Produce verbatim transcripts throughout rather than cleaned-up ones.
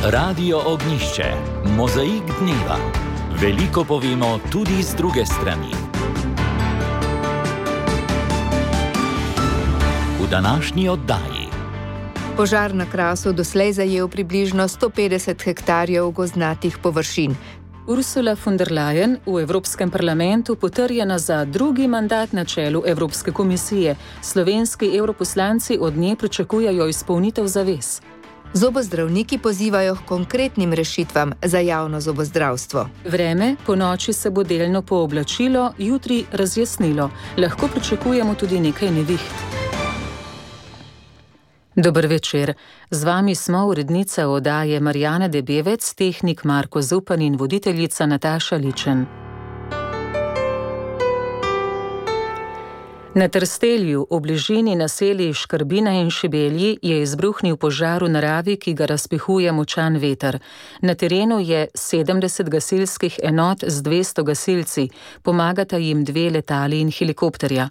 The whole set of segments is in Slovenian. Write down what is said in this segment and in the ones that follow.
Radio Ognjišče, mozaik dneva. Veliko povemo tudi z druge strani. V današnji oddaji. Požar na Krasu doslej zajel približno sto petdeset hektarjev gozdnatih površin. Ursula von der Leyen v Evropskem parlamentu potrjena za drugi mandat na čelu Evropske komisije. Slovenski evroposlanci od nje pričakujejo izpolnitev zavez. Zobozdravniki pozivajo k konkretnim rešitvam za javno zobozdravstvo. Vreme, po noči se bo delno pooblačilo, jutri razjasnilo. Lahko pričakujemo tudi nekaj neviht. Dober večer. Z vami smo urednica oddaje Marjana Debevec, tehnik Marko Zupan in voditeljica Nataša Ličen. Na Trstelju, v bližini naselij Škrbina in Šibelji, je izbruhnil požar v naravi, ki ga razpihuje močan veter. Na terenu je sedemdeset gasilskih enot z dvesto gasilci, pomagata jim dve letali in helikopterja.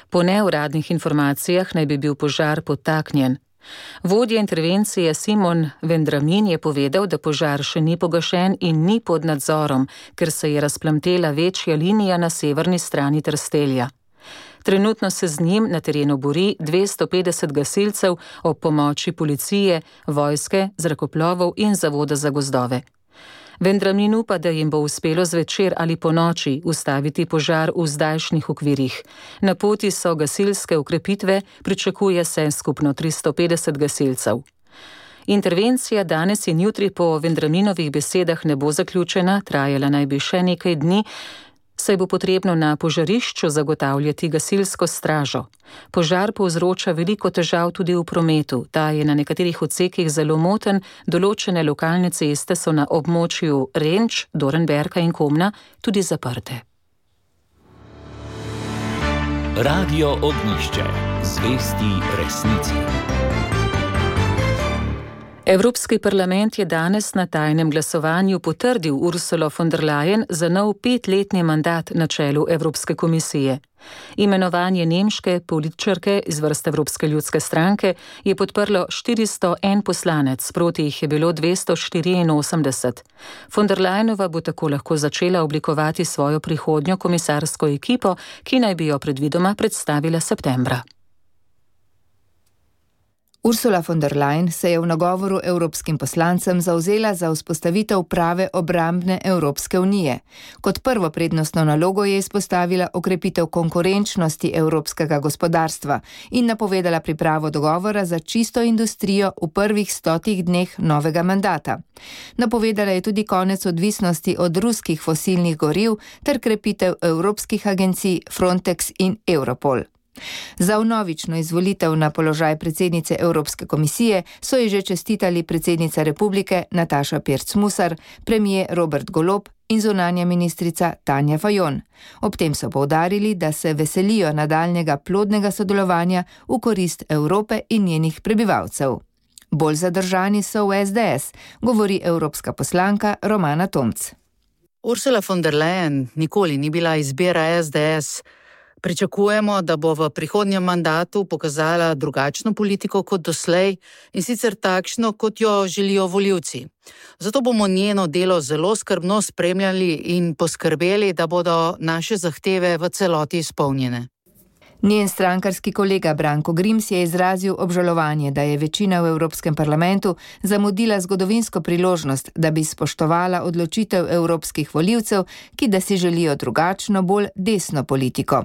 Po neuradnih informacijah naj bi bil požar podtaknjen. Vodja intervencije Simon Vendramin je povedal, da požar še ni pogašen in ni pod nadzorom, ker se je razplamtela večja linija na severni strani Trstelja. Trenutno se z njim na terenu bori dvesto petdeset gasilcev ob pomoči policije, vojske, zrakoplovov in Zavoda za gozdove. Vendramin upa, da jim bo uspelo zvečer ali po noči ustaviti požar v zdajšnjih okvirih. Na poti so gasilske ukrepitve, pričakuje se skupno tristo petdeset gasilcev. Intervencija danes in jutri po Vendraminovih besedah ne bo zaključena, trajala naj bi še nekaj dni, saj bo potrebno na požarišču zagotavljati gasilsko stražo. Požar povzroča veliko težav tudi v prometu. Ta je na nekaterih odsekih zelo moten, določene lokalne ceste so na območju Renč, Dornberka in Komna tudi zaprte. Radio Ognjišče, zvesti resnici. Evropski parlament je danes na tajnem glasovanju potrdil Ursulo von der Leyen za nov petletni mandat na čelu Evropske komisije. Imenovanje nemške političarke iz vrst Evropske ljudske stranke je podprlo štiristo en poslanec, proti jih je bilo dvesto štiriinosemdeset. Von der Leyenova bo tako lahko začela oblikovati svojo prihodnjo komisarsko ekipo, ki naj bi jo predvidoma predstavila septembra. Ursula von der Leyen se je v nagovoru evropskim poslancem zavzela za vzpostavitev prave obrambne Evropske unije. Kot prvo prednostno nalogo je izpostavila okrepitev konkurenčnosti evropskega gospodarstva in napovedala pripravo dogovora za čisto industrijo v prvih stotih dneh novega mandata. Napovedala je tudi konec odvisnosti od ruskih fosilnih goriv ter krepitev evropskih agencij Frontex in Europol. Za vnovično izvolitev na položaj predsednice Evropske komisije so ji že čestitali predsednica republike Nataša Pirc Musar, premier Robert Golob in zunanja ministrica Tanja Fajon. Ob tem so poudarili, da se veselijo nadaljnjega plodnega sodelovanja v korist Evrope in njenih prebivalcev. Bolj zadržani so v es de es, govori evropska poslanka Romana Tomc. Ursula von der Leyen nikoli ni bila izbira es de es. Pričakujemo, da bo v prihodnjem mandatu pokazala drugačno politiko kot doslej in sicer takšno, kot jo želijo volivci. Zato bomo njeno delo zelo skrbno spremljali in poskrbeli, da bodo naše zahteve v celoti izpolnjene. Njen strankarski kolega Branko Grims je izrazil obžalovanje, da je večina v Evropskem parlamentu zamudila zgodovinsko priložnost, da bi spoštovala odločitev evropskih volivcev, ki da si želijo drugačno, bolj desno politiko.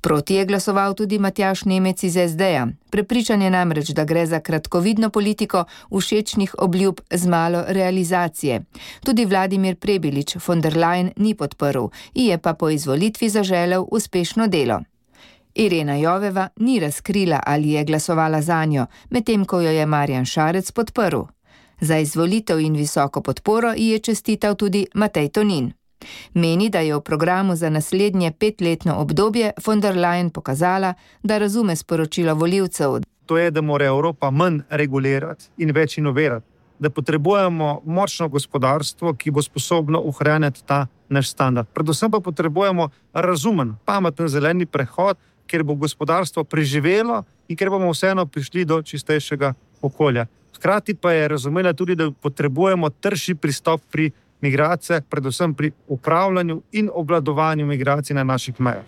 Proti je glasoval tudi Matjaž Nemec iz es de ja. Prepričan je namreč, da gre za kratkovidno politiko všečnih obljub z malo realizacije. Tudi Vladimir Prebilič von der Leyen ni podprl, ji je pa po izvolitvi zaželel uspešno delo. Irena Joveva ni razkrila, ali je glasovala zanjo, medtem ko jo je Marjan Šarec podprl. Za izvolitev in visoko podporo ji je čestital tudi Matej Tonin. Meni, da je v programu za naslednje petletno obdobje von der Leyen pokazala, da razume sporočilo volivcev. To je, da mora Evropa manj regulirati in več inovirati. Da potrebujemo močno gospodarstvo, ki bo sposobno ohranjati ta naš standard. Predvsem pa potrebujemo razumen, pameten zeleni prehod, kjer bo gospodarstvo preživelo in kjer bomo vseeno prišli do čistejšega okolja. Hkrati pa je razumela tudi, da potrebujemo trši pristop pri migracijah, predvsem pri upravljanju in obvladovanju migracij na naših mejah.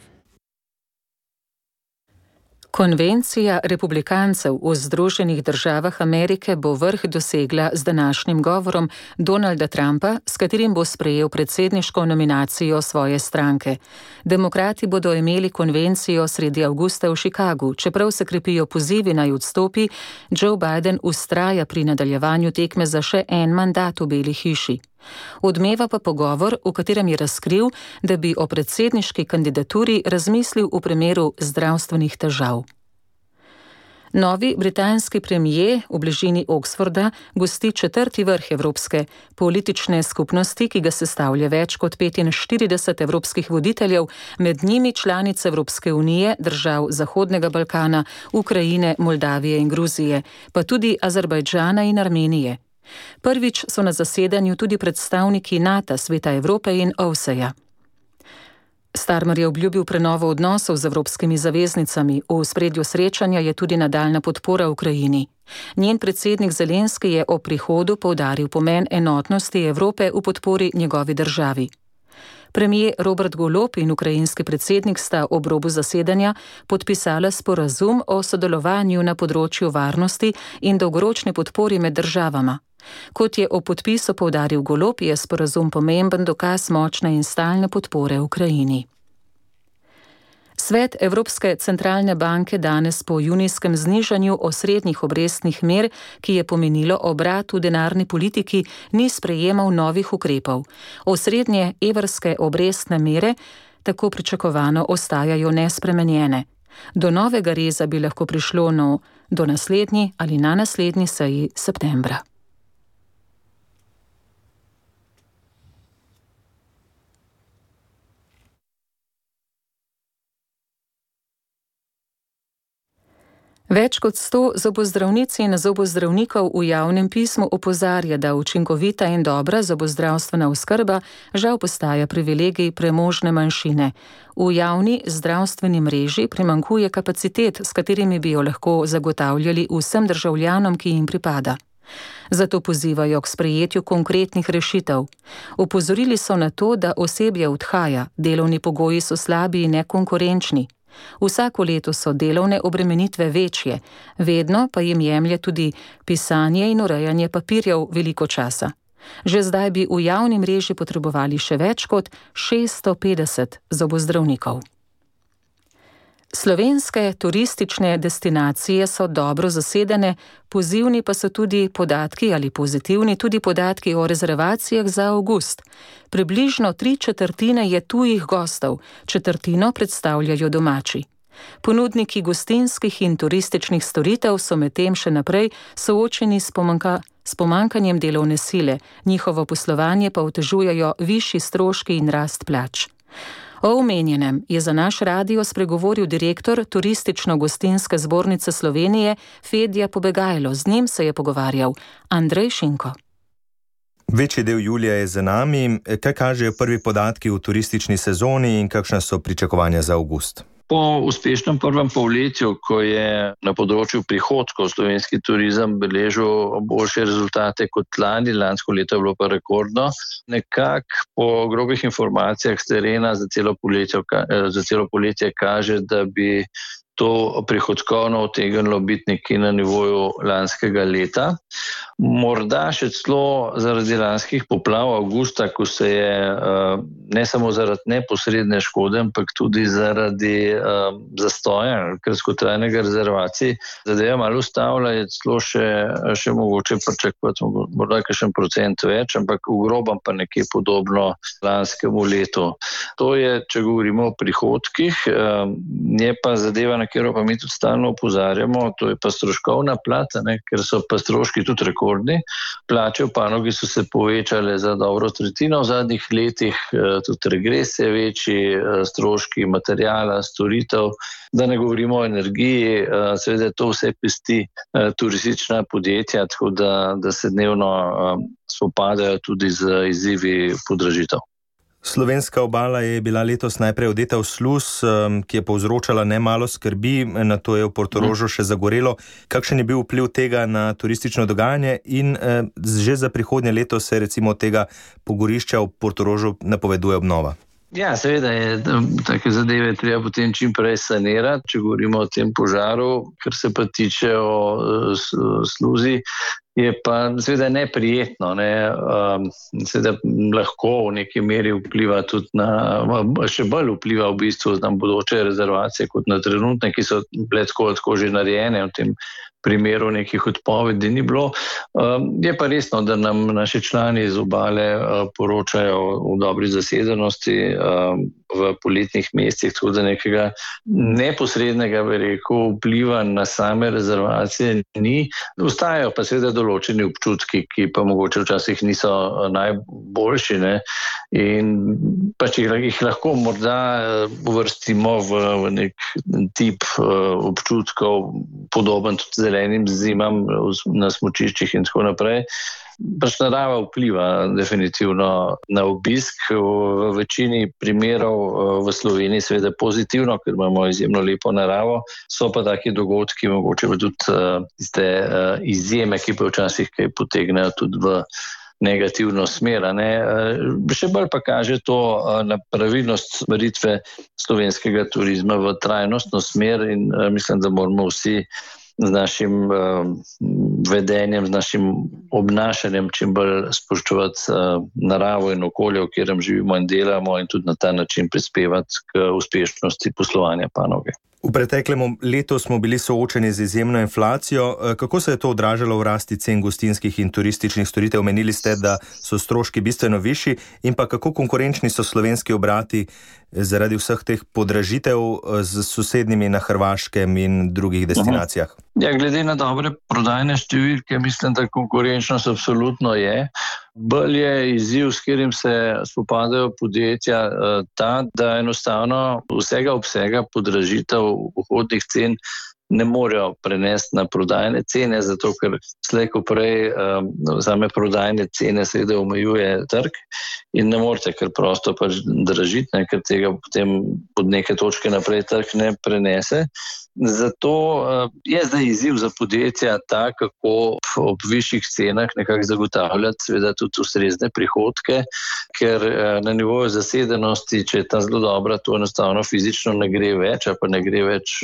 Konvencija republikancev v Združenih državah Amerike bo vrh dosegla z današnjim govorom Donalda Trumpa, s katerim bo sprejel predsedniško nominacijo svoje stranke. Demokrati bodo imeli konvencijo sredi avgusta v Chicagu, čeprav se krepijo pozivi naj odstopi, Joe Biden vztraja pri nadaljevanju tekme za še en mandat v Beli hiši. Odmeva pa pogovor, v katerem je razkril, da bi o predsedniški kandidaturi razmislil v primeru zdravstvenih težav. Novi britanski premijer v bližini Oxforda gosti četrti vrh Evropske politične skupnosti, ki ga sestavlja več kot petinštirideset evropskih voditeljev, med njimi članice Evropske unije, držav Zahodnega Balkana, Ukrajine, Moldavije in Gruzije, pa tudi Azerbajdžana in Armenije. Prvič so na zasedanju tudi predstavniki NATO, Sveta Evrope in O V S E-ja. Starmer je obljubil prenovo odnosov z evropskimi zaveznicami. V ospredju srečanja je tudi nadaljna podpora Ukrajini. Njen predsednik Zelenski je ob prihodu poudaril pomen enotnosti Evrope v podpori njegovi državi. Premijer Robert Golob in ukrajinski predsednik sta ob robu zasedanja podpisala sporazum o sodelovanju na področju varnosti in dolgoročni podpori med državama. Kot je o podpisu poudaril Golob, je sporazum pomemben dokaz močne in stalne podpore Ukrajini. Svet Evropske centralne banke danes po junijskem znižanju osrednjih obrestnih mer, ki je pomenilo obrat v denarni politiki, ni sprejemal novih ukrepov. Osrednje evrske obrestne mere tako pričakovano ostajajo nespremenjene. Do novega reza bi lahko prišlo no, do naslednji ali na naslednji seji septembra. Več kot sto zobozdravnic in zobozdravnikov v javnem pismu opozarja, da učinkovita in dobra zobozdravstvena oskrba žal postaja privilegij premožne manjšine. V javni zdravstveni mreži primanjkuje kapacitet, s katerimi bi jo lahko zagotavljali vsem državljanom, ki jim pripada. Zato pozivajo k sprejetju konkretnih rešitev. Opozorili so na to, da osebje odhaja, delovni pogoji so slabi in nekonkurenčni. Vsako leto so delovne obremenitve večje, vedno pa jim jemlje tudi pisanje in urejanje papirjev veliko časa. Že zdaj bi v javni mreži potrebovali še več kot šeststo petdeset zobozdravnikov. Slovenske turistične destinacije so dobro zasedene, pozivni pa so tudi podatki ali pozitivni tudi podatki o rezervacijah za avgust. Približno tri četrtine je tujih gostov, četrtino predstavljajo domači. Ponudniki gostinskih in turističnih storitev so medtem še naprej soočeni s, pomanka, s pomankanjem delovne sile, njihovo poslovanje pa otežujejo višji stroški in rast plač. O omenjenem je za naš radio spregovoril direktor Turistično-gostinske zbornice Slovenije Fedja Pobegajlo. Z njim se je pogovarjal Andrej Šinko. Večji del julija je za nami. Kaj kažejo prvi podatki v turistični sezoni in kakšna so pričakovanja za avgust? Po uspešnem prvem polletju, ko je na področju prihodkov slovenski turizem beležil boljše rezultate kot lani, lansko leto je bilo pa rekordno, nekako po grobih informacijah s terena za celo poletje, za celo poletje kaže, da bi to prihodkovno utegnilo biti nekje na nivoju lanskega leta. Morda še celo zaradi lanskih poplav avgusta, ko se je ne samo zaradi neposredne škode, ampak tudi zaradi zastoja, kratkotrajnega rezervacij, zadeva malo ustavila, je celo še, še mogoče pričakovati morda kakšen procent več, ampak v grobem pa nekje podobno lanskemu letu. To je, če govorimo o prihodkih, je pa zadeva, na katero pa mi tudi stalno opozarjamo, to je pa stroškovna plata, ne, ker so pa stroški tudi rekordni. Plače v panogi so se povečale za dobro tretjino v zadnjih letih, tudi regres je večji, stroški materijala, storitev, da ne govorimo o energiji, seveda to vse pesti turistična podjetja, tako da, da se dnevno spopadajo tudi z izzivi podražitev. Slovenska obala je bila letos najprej odeta v sluz, ki je povzročala nemalo skrbi, na to je v Portorožu še zagorelo. Kakšen je bil vpliv tega na turistično dogajanje in že za prihodnje leto se recimo tega pogorišča v Portorožu napoveduje obnova? Ja, seveda je take zadeve treba potem čim prej sanirati, če govorimo o tem požaru, kar se pa tiče o sluzi. Je pa seveda neprijetno, ne? Seveda lahko v neki meri vpliva tudi na, še bolj vpliva v bistvu na bodoče rezervacije kot na trenutne, ki so bile tako, tako že narejene, v tem primeru nekih odpovedi ni bilo. Je pa resno, da nam naši člani iz obale poročajo v dobri zasedenosti v poletnih mesecih, tako da nekega neposrednega, bi rekel, vpliva na same rezervacije ni. Ostajajo pa seveda določeni občutki, ki pa mogoče včasih niso najboljši, ne? In pač jih lahko morda uvrstimo v, v nek tip občutkov, podoben tudi zelenim zimam na smučiščih in tako naprej. Pač narava vpliva definitivno na obisk. V večini primerov v Sloveniji seveda pozitivno, ker imamo izjemno lepo naravo. So pa taki dogodki, mogoče pa tudi tiste izjeme, ki pa včasih kaj potegnejo tudi v negativno smer. Ne? Še bolj pa kaže to na pravilnost smeritve slovenskega turizma v trajnostno smer in mislim, da moramo vsi z našim uh, vedenjem, z našim obnašanjem čim bolj spoštovati uh, naravo in okolje, v katerem živimo in delamo in tudi na ta način prispevati k uspešnosti poslovanja panoge. V preteklem letu smo bili soočeni z izjemno inflacijo. Kako se je to odražalo v rasti cen gostinskih in turističnih storitev? Menili ste, da so stroški bistveno višji in pa kako konkurenčni so slovenski obrati zaradi vseh teh podražitev z sosednjimi na Hrvaškem in drugih destinacijah? Ja, glede na dobre prodajne številke, mislim, da konkurenčnost absolutno je. Bolj je izziv, s katerim se spopadajo podjetja, ta, da enostavno vsega obsega podražitev vhodnih cen ne morejo prenesti na prodajne cene, zato ker slej ko prej um, same prodajne cene seveda omejuje trg in ne morete kar prosto pač dražiti, ne, ker tega potem od neke točke naprej trg ne prenese. Zato uh, je zdaj izziv za podjetja ta, kako ob višjih cenah nekako zagotavljati seveda tudi ustrezne prihodke, ker uh, na nivoju zasedenosti, če je ta zelo dobra, to enostavno fizično ne gre več, a pa ne gre več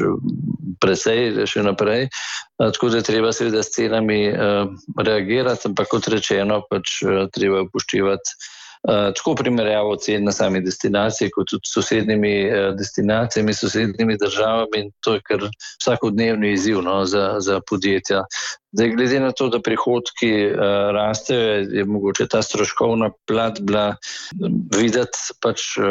presej še naprej. Uh, tako da je treba seveda s cenami uh, reagirati, ampak kot rečeno, pač uh, treba upoštevati Uh, tako primerjavo cen na sami destinaciji, kot tudi s sosednjimi uh, destinacijami, sosednjimi državami in to je kar vsakodnevni izziv, no, za, za podjetja. Zdaj, glede na to, da prihodki uh, rastejo, je mogoče ta stroškovna plat bila videti pač uh,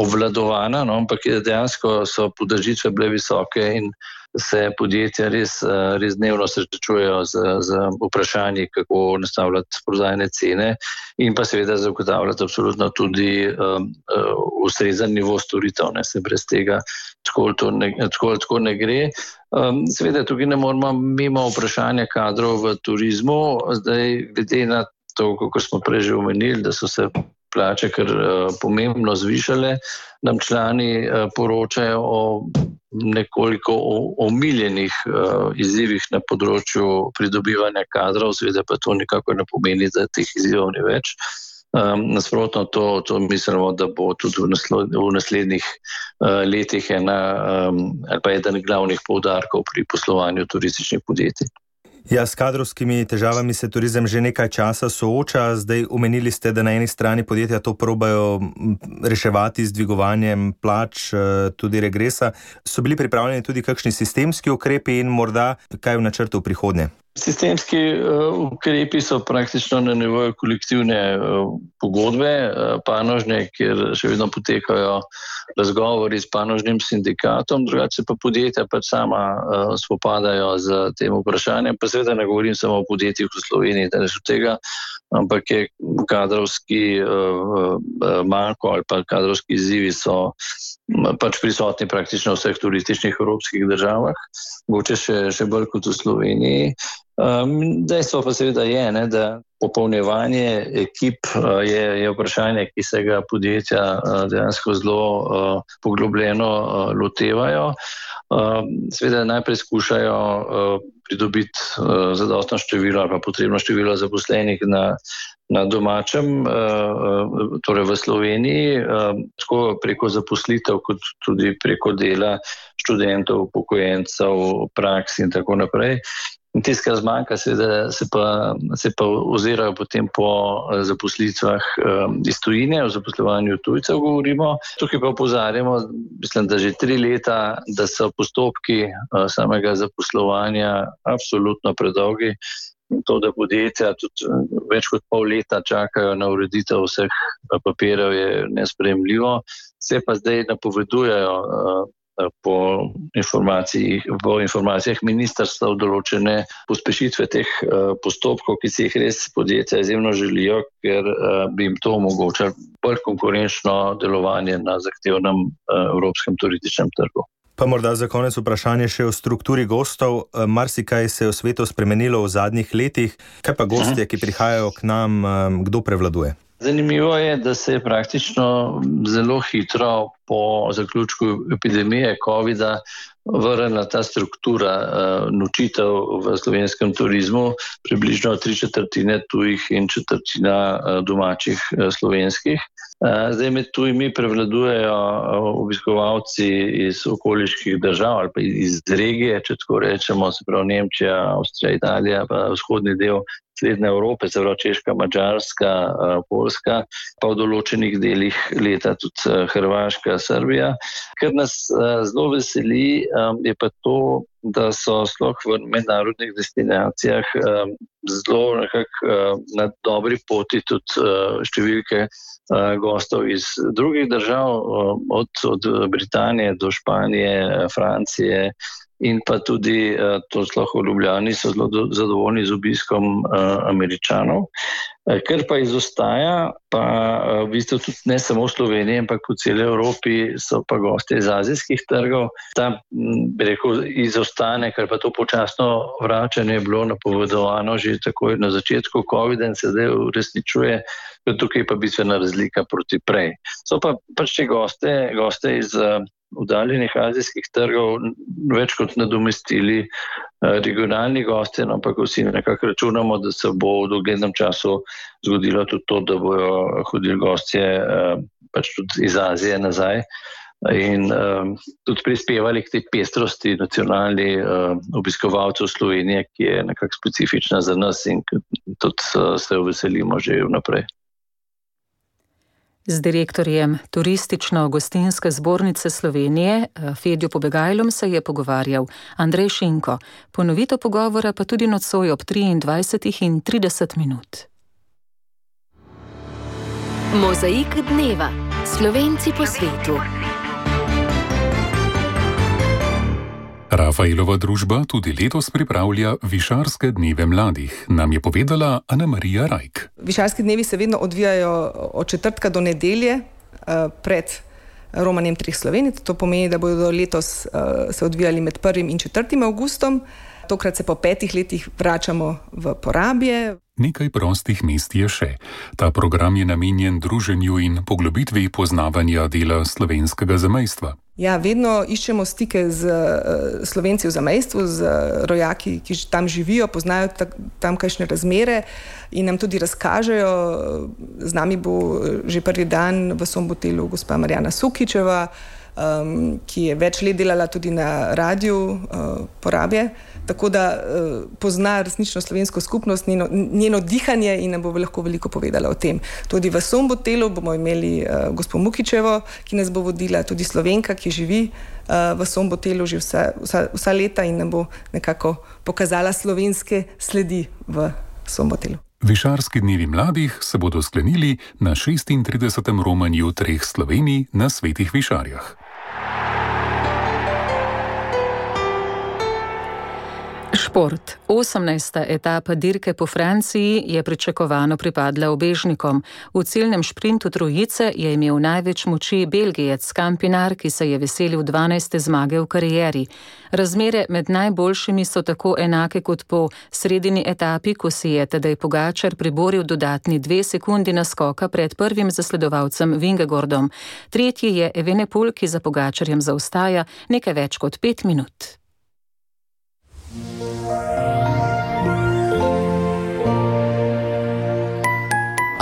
obvladovana, no, ampak dejansko so podražitve bile visoke in se podjetja res, res dnevno srečujejo z, z vprašanji, kako nastavljati prodajne cene in pa seveda zagotavljati absolutno tudi um, ustrezen nivo storitev, ne, se brez tega tako to ne, tako, tako ne gre. Um, seveda tukaj ne moramo mimo vprašanja kadrov v turizmu, zdaj glede na to, kako smo prej že omenili, da so se plače kar uh, pomembno zvišale, nam člani uh, poročajo o nekoliko omiljenih uh, izzivih na področju pridobivanja kadrov, seveda pa to nikako ne pomeni, da teh izzivov ni več. Um, nasprotno to, to mislimo, da bo tudi v, naslo, v naslednjih uh, letih ena um, ali pa eden glavnih poudarkov pri poslovanju turističnih podjetij. Ja, s kadrovskimi težavami se turizem že nekaj časa sooča. Zdaj omenili ste, da na eni strani podjetja to probajo reševati z dvigovanjem plač, tudi regresa. So bili pripravljeni tudi kakšni sistemski ukrepi in morda kaj v načrtu v prihodnje? Sistemski uh, ukrepi so praktično na nivoju kolektivne uh, pogodbe uh, panožne, kjer še vedno potekajo razgovori s panožnim sindikatom, drugače pa podjetja pač sama uh, spopadajo z tem vprašanjem. Pa seveda ne govorim samo o podjetjih v Sloveniji, da od tega, ampak je kadrovski uh, uh, manko ali pa kadrovski izzivi so pač prisotni praktično v vseh turističnih evropskih državah, mogoče še, še bolj kot v Sloveniji. Dejstvo pa seveda je, ne, da popolnjevanje ekip je, je vprašanje, ki se ga podjetja dejansko zelo poglobljeno lotevajo. Seveda najprej skušajo pridobiti zadostno število ali pa potrebno število zaposlenih na, na domačem, torej v Sloveniji, tako preko zaposlitev, kot tudi preko dela študentov, upokojencev, praks in tako naprej. In tisto, kar zmanjka, seveda se pa, se pa ozirajo potem po zaposlitvah iz tujine, o zaposlovanju tujcev govorimo. Tukaj pa opozarjamo, mislim, da že tri leta, da so postopki samega zaposlovanja absolutno predolgi. In to, da podjetja tudi več kot pol leta čakajo na ureditev vseh papirjev, je nesprejemljivo. Se pa zdaj napovedujejo po informacijah, po informacijah ministrstva določene pospešitve teh postopkov, ki si jih res podjetja izjemno želijo, ker bi jim to omogočalo bolj konkurenčno delovanje na zahtevnem evropskem turističnem trgu. Pa morda za konec vprašanje še o strukturi gostov. Marsikaj se je v svetu spremenilo v zadnjih letih. Kaj pa gostje, ki prihajajo k nam, kdo prevladuje? Zanimivo je, da se je praktično zelo hitro po zaključku epidemije covida vrnila ta struktura nočitev v slovenskem turizmu, približno tri četrtine tujih in četrtina domačih slovenskih. Zdaj med tujimi prevladujejo obiskovalci iz okoliških držav ali pa iz regije, če tako rečemo, se pravi Nemčija, Avstrija, Italija, pa vzhodni del Srednje Evrope, se pravi Češka, Madžarska, Poljska, pa v določenih delih leta tudi Hrvaška, Srbija. Kar nas zelo veseli, je pa to, da so sploh v mednarodnih destinacijah zelo nekako na dobri poti tudi številke gostov iz drugih držav, od, od Britanije do Španije, Francije, in pa tudi, to sploh v Ljubljani, so zelo zadovoljni z obiskom Američanov. Kar pa izostaja, pa v bistvu tudi ne samo v Sloveniji, ampak v celi Evropi, so pa gosti iz azijskih trgov. Ta, bi rekel, izostane, ker pa to počasno vračanje je bilo napovedovano že takoj na začetku covida in se zdaj uresničuje, tukaj pa bistvena razlika proti prej. So pa pač te goste, goste iz oddaljenih azijskih trgov več kot nadomestili regionalni gosti, ampak vsi nekako računamo, da se bo v doglednem času zgodilo tudi to, da bojo hodili gostje pač tudi iz Azije nazaj in tudi prispevali k tej pestrosti nacionalni obiskovalcev Slovenije, ki je nekako specifična za nas in tudi se jo veselimo že vnaprej. Z direktorjem Turistično-gostinske zbornice Slovenije, Fedjo Pobegajlom, se je pogovarjal Andrej Šinko. Ponovitev pogovora pa tudi nocoj ob triindvajsetih in trideset minut. Mozaik dneva. Slovenci po svetu. Rafaelova družba tudi letos pripravlja Višarske dneve mladih, nam je povedala Ana Marija Rajk. Višarski dnevi se vedno odvijajo od četrtka do nedelje pred romanjem treh Slovenij. To pomeni, da bodo letos se odvijali med prvim in četrtim avgustom. Tokrat se po petih letih vračamo v Porabje. Nekaj prostih mest je še. Ta program je namenjen druženju in poglobitvi poznavanja dela slovenskega zamejstva. Ja, vedno iščemo stike z Slovenci v zamejstvu, z rojaki, ki tam živijo, poznajo tamkajšnje razmere in nam tudi razkažejo. Z nami bo že prvi dan v Sombotelu gospa Marjana Sukičeva, um, ki je več let delala tudi na radiju uh, Porabje, tako da uh, pozna resnično slovensko skupnost, njeno, njeno dihanje in nam bo lahko veliko povedala o tem. Tudi v Sombotelu bomo imeli uh, gospo Mukičevo, ki nas bo vodila, tudi Slovenka, ki živi uh, v Sombotelu že vsa, vsa, vsa leta in nam bo nekako pokazala slovenske sledi v Sombotelu. Višarski dnevi mladih se bodo sklenili na šestintridesetem romanju treh Slovenij na Svetih Višarjah. Šport. osemnajsta etapa dirke po Franciji je pričakovano pripadla ubežnikom. V ciljnem šprintu trojice je imel največ moči Belgijec Campinar, ki se je veselil dvanajste zmage v karieri. Razmere med najboljšimi so tako enake kot po sredini etapi, ko si je Tadej Pogačar priboril dodatni dve sekundi naskoka pred prvim zasledovalcem Vingegaardom. Tretji je Evenepoel, ki za Pogačarjem zaostaja nekaj več kot pet minut.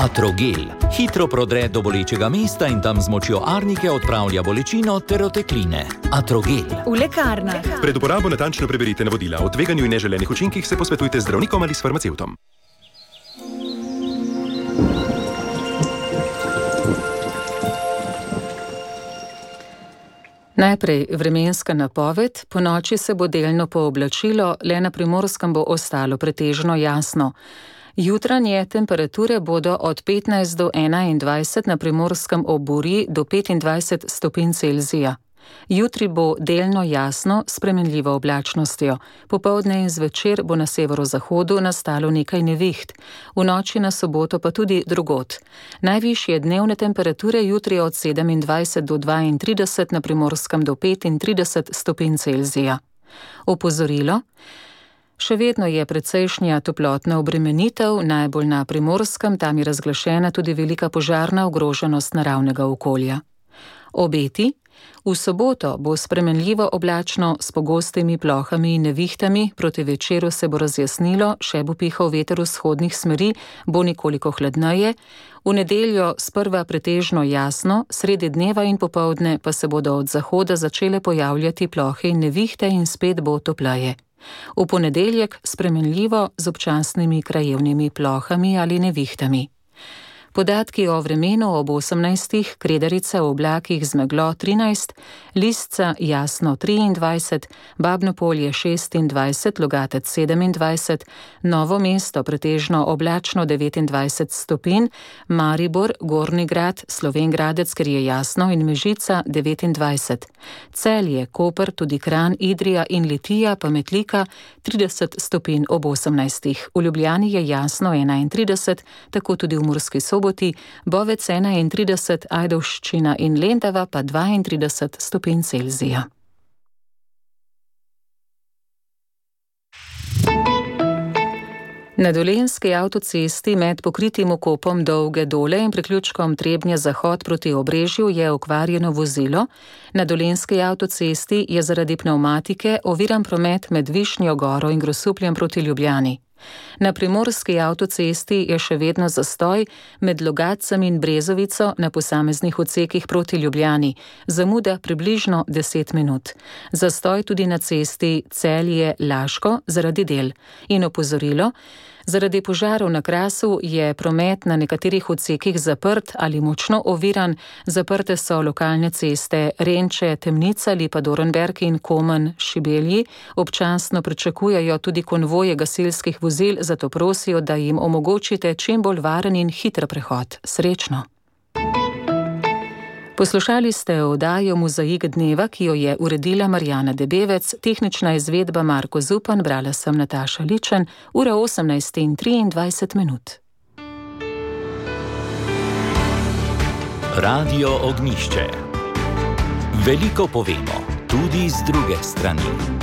Atrogel hitro prodre do bolečega mesta in tam z močjo arnike odpravlja bolečino ter otekline. Atrogel. V lekarnah. Pred uporabo natančno preberite navodila. O tveganju in neželenih učinkih se posvetujte z zdravnikom ali s farmacevtom. Najprej vremenska napoved. Po noči se bo delno pooblačilo, le na Primorskem bo ostalo pretežno jasno. Jutranje temperature bodo od petnajst do enaindvajset, na Primorskem ob Muri do petindvajset stopinj Celzija. Jutri bo delno jasno s spremenljivo oblačnostjo. Popoldne in zvečer bo na severozahodu nastalo nekaj neviht. V noči na soboto pa tudi drugod. Najvišje dnevne temperature jutri od sedemindvajset do dvaintrideset, na Primorskem do petintrideset stopinj Celzija. Opozorilo. Še vedno je precejšnja toplotna obremenitev, najbolj na Primorskem, tam je razglašena tudi velika požarna ogroženost naravnega okolja. Obeti. V soboto bo spremenljivo oblačno s pogostimi plohami in nevihtami, proti večeru se bo razjasnilo, še bo pihal veter vzhodnih smeri, bo nekoliko hladneje. V nedeljo sprva pretežno jasno, sredi dneva in popoldne pa se bodo od zahoda začele pojavljati plohe in nevihte in spet bo topleje. V ponedeljek spremenljivo z občasnimi krajevnimi plohami ali nevihtami. Podatki o vremenu ob osemnajstih, Kredarica v oblakih z meglo trinajst, Lisca jasno triindvajset, Babno Polje šestindvajset, Logatec sedemindvajset, Novo mesto pretežno oblačno devetindvajset stopinj, Maribor, Gornji Grad, Slovenj Gradec, ker je jasno, in Mežica devetindvajset. Celje, Koper, tudi Kranj, Idrija in Litija pa Metlika trideset stopinj ob osemnajstih. V Ljubljani je jasno enaintrideset, tako tudi v Murski Soboti, Bovec enaintrideset, Ajdovščina in Lendava pa dvaintrideset stopinj Celzija. Na Dolenjski avtocesti med pokritim vkopom Dolge Dole in priključkom Trebnje-Zahod proti Obrežju je okvarjeno vozilo. Na Dolenjski avtocesti je zaradi pnevmatike oviran promet med Višnjo Goro in Grosupljem proti Ljubljani. Na Primorski avtocesti je še vedno zastoj med Logatcem in Brezovico na posameznih odsekih proti Ljubljani, zamuda približno deset minut. Zastoj tudi na cesti Celje-Laško zaradi del. In opozorilo, zaradi požarov na Krasu je promet na nekaterih odsekih zaprt ali močno oviran, zaprte so lokalne ceste Renče, Temnica, Lipa Dorenberg in Komen Šibelji. Občasno pričakujejo tudi konvoje gasilskih vozil, zato prosijo, da jim omogočite čim bolj varen in hiter prehod. Srečno! Poslušali ste oddajo Mozaik dneva, ki jo je uredila Marjana Debevec, tehnična izvedba Marko Zupan, brala sem Nataša Ličen, ura osemnajst in triindvajset minut. Radio Ognjišče. Veliko povemo, tudi z druge strani.